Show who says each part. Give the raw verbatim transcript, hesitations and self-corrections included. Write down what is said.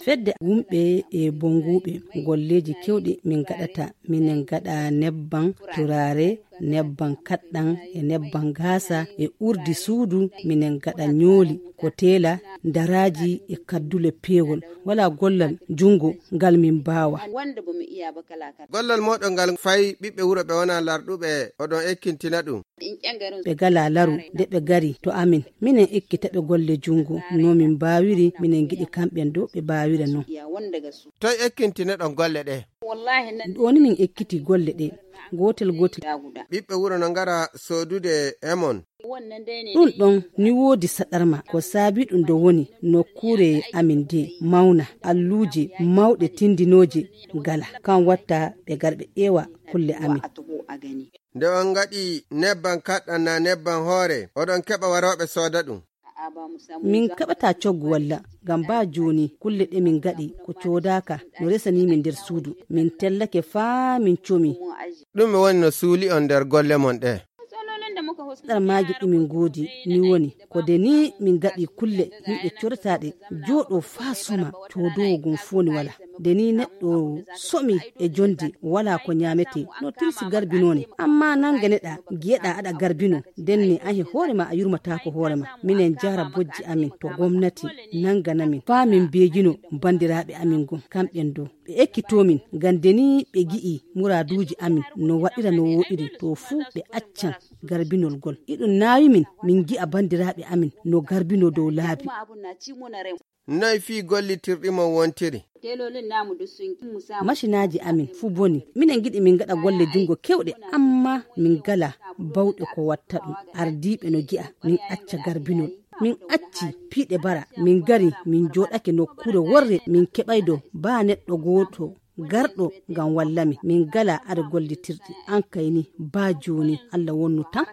Speaker 1: fedde wumɓe e bonguɓe golleji kewɗi min gaɗata minen gaɗa nebban turare nebban kaɗɗan e nebban gasa e urdi suudu minen gaɗa nyoli ko tela daraji e kaddule pewol wala gollal jungo ngal min bawa
Speaker 2: gollal moɗon ngal fayi ɓiɓɓe wuro ɓe wona larɗuɓe oɗon ekkintina ɗum
Speaker 1: ɓe gala laru de ɓe gari to amin minen ekkita ɓe golle jungo no min bawiri minen giɗi kamɓen do ɓe bawira non
Speaker 2: toy ekkintina ɗon golle ɗe
Speaker 1: woni min ekkiti golle ɗe gotel gotel
Speaker 2: ɓiɓɓe wuro no ngara sodude emon
Speaker 1: ɗum ɗon ni woodi saɗarma ko saabi ɗum do woni nokkure amin de mauna alluje mawɗe tindinoje gala kan watta ɓe garɓe ƴeewa kulle amin
Speaker 2: nde on ngaɗi nebban kaɗɗan na nebban hoore oɗon keɓa waroɓe sooda ɗum
Speaker 1: min kaɓata coggu walla ngam ba joni kulle ɗe min gaɗi ko codaka no resani min nder suudu min tellake faa min comi
Speaker 2: ɗum woni no suuli on nder golle mon ɗe
Speaker 1: ɗar maji ɗumin goodi ni woni ko de ni min gaɗi kulle yimɓe cortaɗe jooɗo faa soma codowo gum foni wala de ni neɗɗo somi e jonde wala ko nyamete no tirsi garbinone amma nanga neɗa giyeɗa aɗa garbino denne ahe hoorema a yurmatako hoorema minen jara bojji amin to gomnati nanganamin faa min beejino bandiraɓe amin gon kamɓen dow ɓe ekkitomin ngam deni ɓe gi'i muraduji amin no waɗira no woɗiri to fuu ɓe accan garbinol gol iɗum naawi min min gi'a bandiraɓe amin no garbino dow laabi
Speaker 2: noy fii gollitirɗimon wontiri
Speaker 1: machinaji amin fuu boni minen giɗi min gaɗa golle jungo kewɗe amma min gala bawɗe ko watta ɗum ardiɓe no gi'a min acca garbinol min acci piiɗe bara min gari min joɗake nokkure worre min keɓaydo ba neɗɗo goto garɗo ngam wallami min gala ada gollitirɗi an kayni ba joni Allah wonnu tan